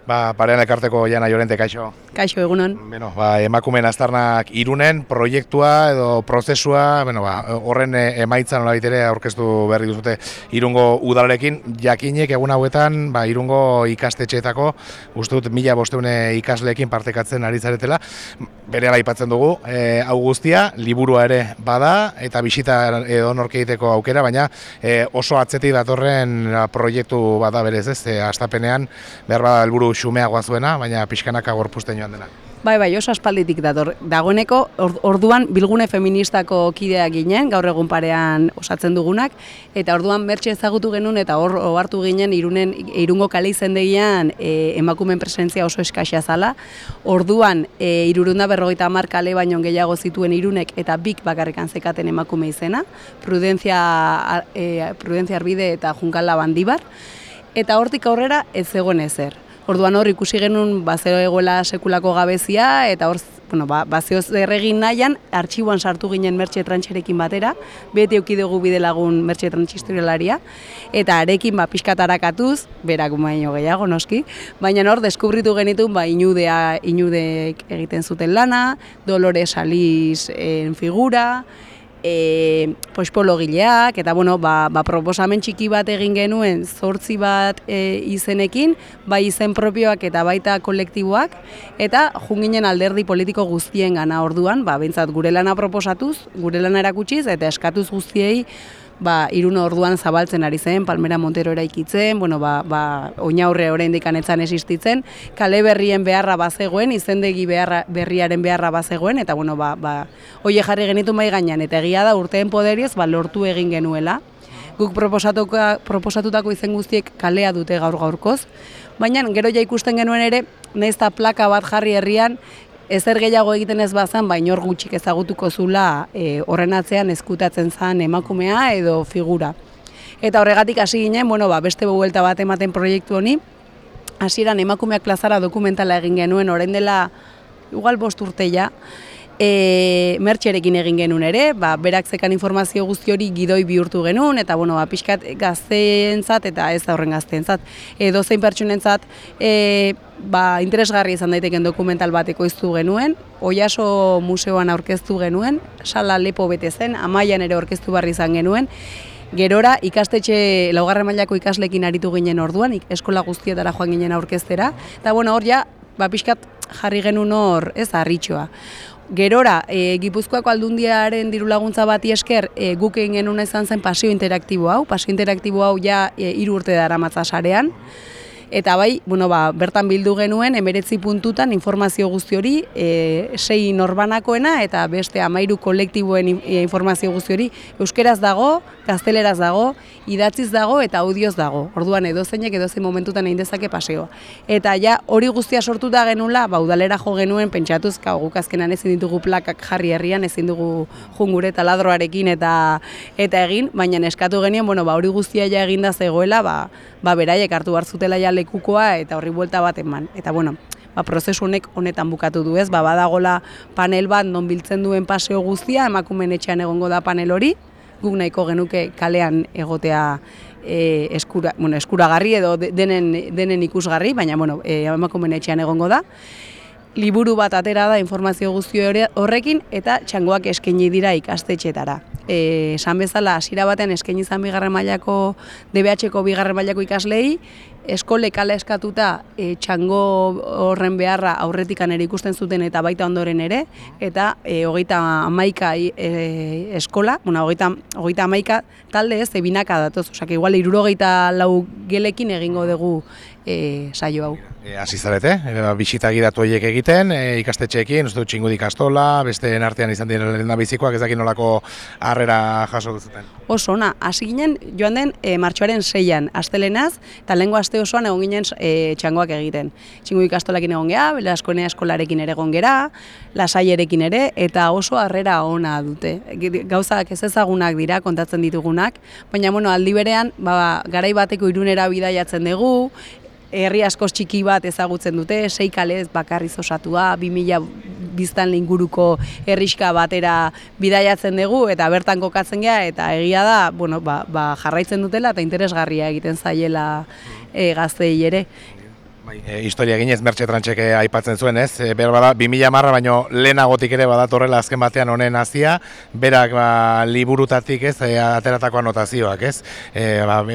Parean elkarteko Jana Llorente, kaixo. Kaixo, egunon. Emakumeen aztarnak Irunen proiektua edo prozesua, horren emaitza nolabait ere aurkeztu berri duzute Irungo udalarekin. Jakinek egun hauetan Irungo ikastetxeetako, uste dut 1500 ikasleekin partekatzen ari zaretela. Berehala aipatzen dugu, hau guztia, liburua ere bada eta bisita edonork egiteko aukera, baina oso atzetik datorren proiektu bada berez ez, hastapenean behar bada helburu xumeagoa zuena, baina pixkanaka gorpuzten joan dena. Bai, oso aspalditik dator. Dagoeneko orduan bilgune feministako kideak ginen, gaur egun parean osatzen dugunak, eta orduan Mertxe ezagutu genuen eta hor ohartu ginen Irungo kale izendegian emakumeen presentzia oso eskasia zala. Orduan 350 kale baino gehiago zituen Irunek eta bik bakarrikan zekaten emakume izena, Prudentzia Arbide eta Junkala Bandibar, eta hortik aurrera ez zegoen ezer. Orduan hor ikusi genuen zegoela sekulako gabezia eta hor zeo zer egin nahian artxiboan sartu ginen Mertxe Trantxerekin batera, beti eduki dugu bidelagun Mertxe Trantxistorialaria, eta arekin pixkat arakatuz, berak baino gehiago noski, baina hor deskubritu genitun Inudeek egiten zuten lana, Dolores Alizen figura, pospologileak, eta proposamen txiki bat egin genuen 8 bat izenekin, bai izen propioak eta baita kolektiboak, eta junginen alderdi politiko guztien gana orduan, behintzat gure lana proposatuz, gure lana erakutsiz, eta eskatuz guztiei Irun orduan zabaltzen ari zen, Palmera Montero eraikitzen, Oinaurre oraindik anetzan existitzen, kale berrien beharra bazegoen, izendegi berriaren beharra bazegoen, eta hoie jarri genitu mai gainean, eta egia da urteen poderioz lortu egin genuela. Guk proposatutako izen guztiek kalea dute gaur-gaurkoz, baina gero ja ikusten genuen ere, nahiz eta plaka bat jarri herrian, ezer gehiago egiten ez bazan, inor gutxik ezagutuko zula horren atzean ezkutatzen zen emakumea edo figura. Eta horregatik hasi ginen, beste buelta bat ematen proiektu honi, hasieran emakumeak plazara dokumentala egin genuen, orain dela igual 5 urte ja, Mertxerekin egin genuen ere, berak zekan informazio guzti hori gidoi bihurtu genuen, eta pixkat gazteentzat eta ez da horren gazteentzat. Dozein pertsonentzat interesgarri izan daiteken dokumental bat ekoiztu genuen, Oiaso museoan aurkeztu genuen, sala lepo bete zen, Amaian ere aurkeztu barri izan genuen, gerora ikastetxe 4. mailako ikaslekin aritu ginen orduan, eskola guztietara joan ginen aurkeztera, eta hor ja, pixkat jarri genuen hor, ez harritxoa. Gerora, Gipuzkoako Aldundiaren dirulaguntza bati esker guk egin genuen izan zen paseo interaktibo hau ja 3 urte daramatza sarean, eta bertan bildu genuen 19 puntutan informazio guzti hori, 6 norbanakoena eta beste 13 kolektiboen informazio guzti hori euskeraz dago, gazteleraz dago, idatziz dago eta audioz dago. Orduan edozeinek edozein momentutan egin dezake paseoa. Eta ja hori guztia sortuta genula, udalera jo genuen pentsatuz, guk azkenan ezin ditugu plakak jarri herrian, ezin dugu jungure taladroarekin eta egin, baina eskatu genien, hori guztia ja eginda zegoela, beraiek hartu hartzutela ja lekukoa eta horri buelta bat eman. Eta prozesu honek honetan bukatu du ez, badagola panel bat non biltzen duen paseo guztia, emakumeen etxean egongo da panel hori, guk nahiko genuke kalean egotea eskuragarri edo denen ikusgarri, baina emakumeen etxean egongo da. Liburu bat atera da informazio guzti horrekin eta txangoak eskaini dira ikastetxetara. Esan bezala, hasiera batean eskaini izan 2. mailako DBH-ko 2. mailako ikaslei, eskolek hala eskatuta txango horren beharra aurretikan ere ikusten zuten eta baita ondoren ere, eta 31 eskola, 31 talde ez, binaka datoz, igual 64 gelekin egingo dugu saio hau. Hasi zarete, bisita gidatu horiek egiten, ikastetxeekin, uste dut Txingudi ikastola, besteen artean izan diren lehendabizikoak, ez dakit nolako harrera jaso duzuten. Oso ona, hasi ginen joan den martxoaren 6an, astelenaz, eta lehengo aste osoan egon ginen txangoak egiten. Txingudi ikastolakin egon gera, Belaskoenea eskolarekin ere egon gera, Lasaierekin ere, eta oso harrera ona dute. Gauzak ez ezagunak dira, kontatzen ditugunak, baina aldi berean, garai bateko Irunera bidaiatzen dugu, herri askoz txiki bat ezagutzen dute, 6 kalez bakarriz osatua, 2000 biztanle inguruko herrixka batera bidaiatzen dugu eta bertan kokatzen gea, eta egia da, jarraitzen dutela eta interesgarria egiten zaiela gazteei ere. Historia ginez Mertxe Trantxek aipatzen zuen, ez? Bada 2010 baino lehenagotik ere badatorrela azken batean honen hasia, berak liburutatik, ez, ateratako anotazioak, ez?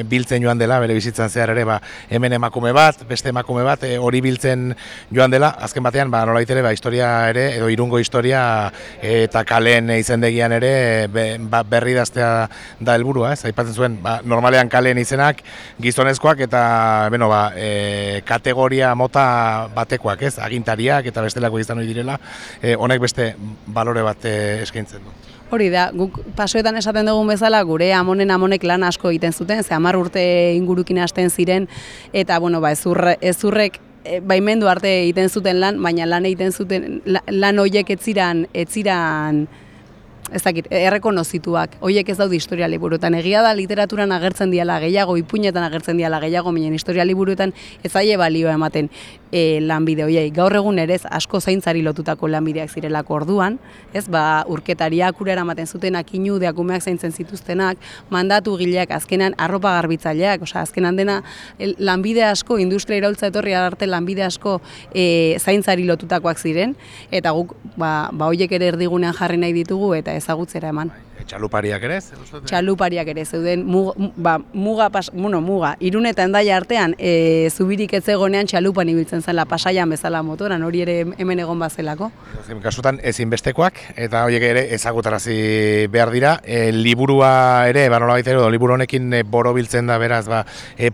Biltzen joan dela bere bizitzan zehar ere, hemen emakume bat, beste emakume bat, hori biltzen joan dela, azken batean nolabait ere historia ere edo Irungo historia eta kaleen izendegian ere berri daztea da helburua, ez? Aipatzen zuen, normalean kaleen izenak gizonezkoak eta kategoria mota batekoak, ez? Agintariak eta bestelako izan ohi direla, honek beste balore bat eskaintzen du. Hori da, guk pasoetan esaten dugun bezala, gure amonek lan asko egiten zuten, 10 urte ingurukin hasten ziren, eta ezurrek baimendu arte egiten zuten lan, baina lan egiten zuten, lan horiek ez ziran ez dakit, errekonozituak, horiek ez daude historia liburuetan. Egia da literaturan agertzen diala gehiago, ipuinetan agertzen diala gehiago, baina historia liburuetan ez zaie balioa ematen lanbide horiei. Gaur egun ere asko zaintzari lotutako lanbideak zirelako orduan, ez, urketariak urera ematen zutenak, inudeak, umeak zaintzen zituztenak, mandatu gileak, azkenan arropa garbitzaileak, azkenan dena lanbide asko, industria iraultza etorri arte lanbide asko zaintzari lotutakoak ziren, eta guk horiek ere erdigunean jarri nahi ditugu eta ezagutzera eman. Txalupariak ere? Txalupariak ere, zeuden muga, Irun eta Hendaia artean zubirik ez egonean txalupan ibiltzen zela, Pasaian bezala motoran, hori ere hemen egon bazelako. Kasutan ezinbestekoak, eta horiek ere ezagutarazi behar dira. Liburua ere, nolabait ere, liburu honekin borobiltzen da beraz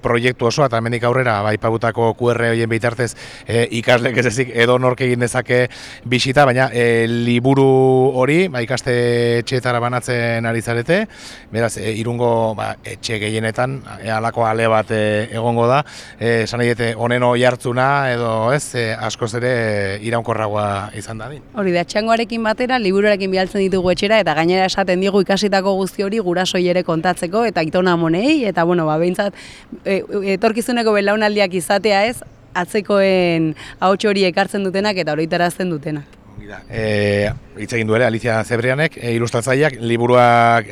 proiektu osoa, eta hemendik aurrera aipatutako QR horien bitartez ikaslek ez ezik edo nork egin dezake bisita, baina liburu hori ikastetxeetara banatzen ari zarete, beraz, Irungo etxe gehienetan halako ale bat egongo da, esan nahi dute honen oihartzuna edo askoz ere iraunkorragoa izan dadin. Hori da, txangoarekin batera, liburuarekin bialtzen ditugu etxera, eta gainera esaten digu ikasitako guzti hori gurasoi ere kontatzeko, eta aitona amonei, eta behintzat, etorkizuneko belaunaldiak izatea ez, atzekoen ahots hori ekartzen dutenak eta horitarazten dutenak. Hitz egin du ere Alicia Zebrianek, ilustratzaileak, liburuak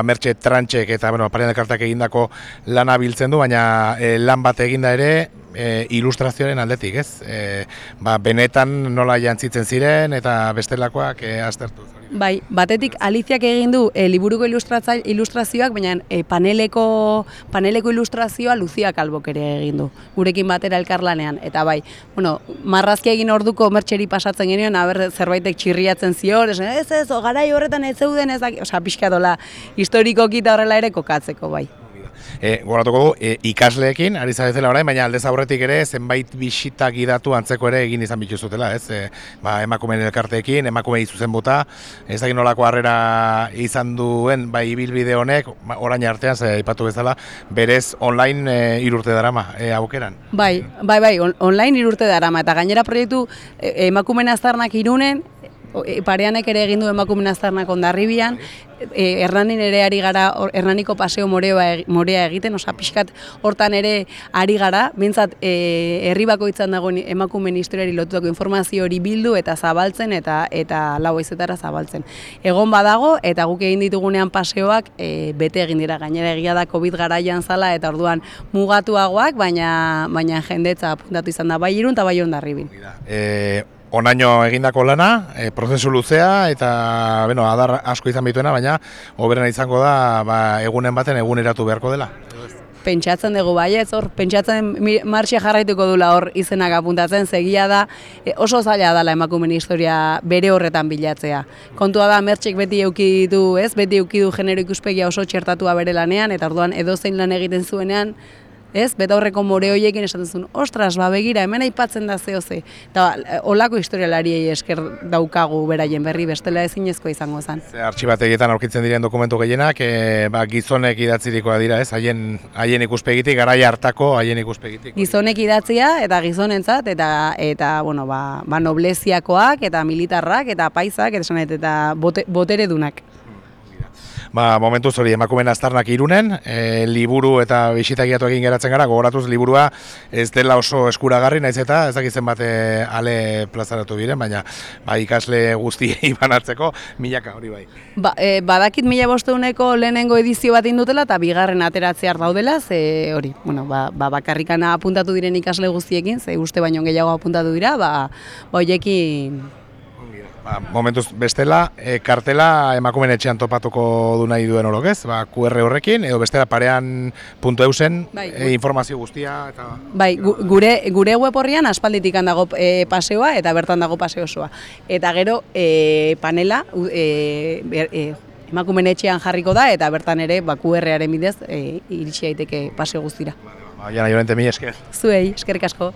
Mertxe Trantxek eta Parian Elkarteak egindako lana biltzen du, baina lan bat eginda ere ilustrazioaren aldetik, ez? Benetan nola jantzitzen ziren eta bestelakoak aztertu. Bai, batetik Aliziak egin du liburuko ilustrazioak, baina paneleko ilustrazioa Lucia Kalbok ere egin du, gurekin batera elkarlanean. Eta bai, marrazkia egin orduko Mertxeri pasatzen genioen, zerbaitek txirriatzen zior, ez, garai horretan ez zeuden, pixka dola historikoki eta horrela ere kokatzeko, bai. Goratuko du, ikasleekin, ari zaretela orain, baina aldez aurretik ere zenbait bisitak gidatu antzeko ere egin izan bituzutela, ez? Emakumeen elkarteekin, emakumei zuzenbuta, ez dakit nolako harrera izan duen ibilbide honek, orain artean, aipatu bezala, berez online 3 urte darama aukeran. Bai, online 3 urte darama, eta gainera proiektu emakumeen aztarnak Irunen, Pareanek ere egin du emakumeen aztarnak Hondarribian, Hernanin ere ari gara, Hernaniko paseo morea egiten, pixkat hortan ere ari gara, bintzat herri bakoitzan dagoen emakumeen historiari lotutako informazio hori bildu eta zabaltzen eta lau haizetara zabaltzen. Egon badago eta guk egin ditugunean paseoak bete egin dira, gainera egia da COVID garaian zala eta orduan mugatuagoak, baina jendetza apuntatu izan da bai Irun eta bai Hondarribin. Onaino egindako lana, prozesu luzea eta adar asko izan bituena, baina hoberena izango da egunen baten eguneratu beharko dela. Pentsatzen dugu baietz, pentsatzen martxe jarraituko dula hor izenak apuntatzen, segia da oso zaila dela emakumeen historia bere horretan bilatzea. Kontua da Mertxek beti eduki du genero ikuspegia oso txertatua bere lanean, eta orduan edozein lan egiten zuenean, betaurreko more horiekin esaten zuen, ostras, begira, hemen aipatzen da zehoze. Eta olako historialariei esker daukagu beraien berri, bestela ezinezkoa izango zen. Artxibategietan aurkitzen diren dokumentu gehienak, gizonek idatzirikoa dira, haien ikuspegitik, garai hartako haien ikuspegitik. Gizonek idatzia eta gizonentzat, eta nobleziakoak, eta militarrak, eta paisak, eta boteredunak. Momentuz hori emakumeen aztarnak Irunen, liburu eta bisitagiatu egin geratzen gara, gogoratuz liburua ez dela oso eskuragarri, naiz eta ez dakit zenbat ale plazaratu diren, baina ikasle guztiei banatzeko milaka hori bai. Badakit 1500ko lehenengo edizio bat indutela eta bigarren ateratzear daudela, ze hori, bakarrikana apuntatu diren ikasle guztiekin, ze uste baino gehiago apuntatu dira, hoiekin. Momentuz bestela, kartela emakumeen etxean topatuko du nahi duen orok ez? QR horrekin, edo bestela parean.eusen informazio guztia eta... Bai, gure web horrian aspalditik dago paseoa eta bertan dago paseo osoa. Eta gero panela emakumeen etxean jarriko da eta bertan ere QR-aren bidez iritsi daiteke paseo guztira. Jana Llorente, mila esker. Zuei, eskerrik asko.